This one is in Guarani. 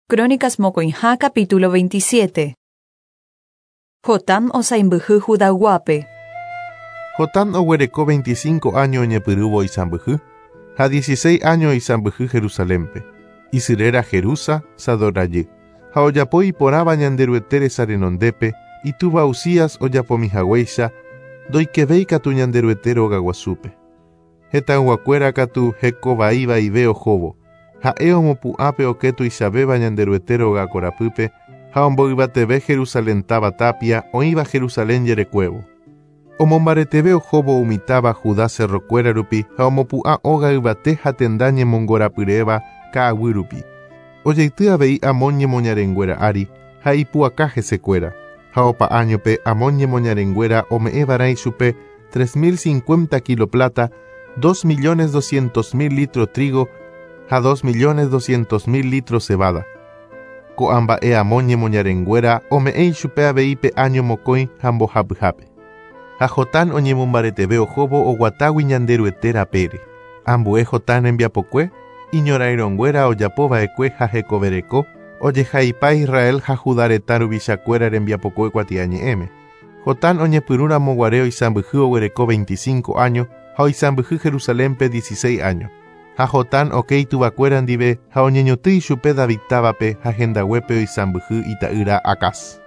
Crónicas mokõiha capítulo 27. Jotam osaimbyhy Judayguápe. Jotam oguereko 25 áño oñepyrũvo isãmbyhy, ha 16 áño oisãmbyhy Jerusalénpe. Isy réra Jerusa, Sadoc rajy. Ha ojapo iporãva Ñanderuete resa renondépe, itúva Uzías ojapomihaguéicha, ndoikevéi katu Ñanderuete rogaguasúpe. Hetãyguakuéra katu heko vai vaive ohóvo. Ha'e omopu'ã pe okẽ tuichavéva Ñanderuete róga korapýpe ha omboyvateve Jerusalén táva tápia oĩva Jerusalén jerekuévo. Omombareteve ohóvo umi táva Judá cerrokuéra rupi ha omopu'ã óga yvate ha tenda ñemongorapyréva ka'aguy rupi. Ojeity avei Amón ñemoñarenguéra ári ha ipu'aka hesekuéra, ha opa áñope Amón ñemoñarenguéra ome'ẽva'erã ichupe 3050 kilo pláta, 2.200.000 litro trígo ha 2.200.000 litro cebada. Ko'ã mba'e Amón ñemoñarenguéra ome'ẽ ichupe avei pe áño mokõi ha mbohapyhápe. Ha Jotán oñemombareteve ohóvo oguatágui Ñanderuete rapére. Ambue Jotán rembiapokue, iñorairõnguéra ojapo va'ekue ha hekovereko, ojehaipa Israel ha Judá retã ruvichakuéra rembiapokue kuatiañe'ẽme. Jotán oñepyrũramo guare oisãmbyhy oguereko 25 áño ha oisãmbyhy Jerusalénpe 16 áño. Ha Jotán oke ituvakuéra ndive ha oñeñotỹ ichupe David távape ha hendaguépe oisãmbyhy ita'ýra Acaz.